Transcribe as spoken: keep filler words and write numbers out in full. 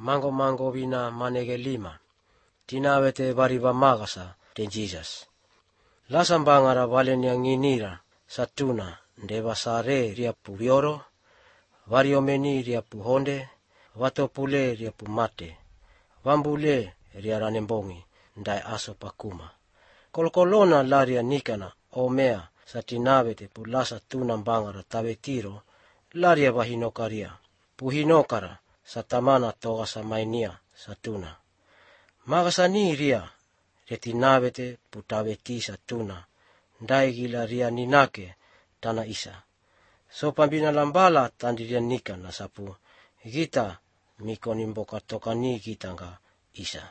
mango mango vina manege lima. Tinawete variva magasa ten Jesus. Lasambangara valenia nginira satuna ndeva sare ria puvioro, variomeni ria puhonde, vatopule ria pumate, vambule ria ranembongi ndai aso pakuma. Kolkolona laria nikana omea satinavete pulasa tunambangara tavetiro laria vahinokaria, puhinokara satamana toga samainia satuna. Magasani ria retinavete putaveti satuna, ndai gila ria ninake tana isa. So pambina lambala tandiria nika na sapu, gita mikoni mboka tokani gitanga isa.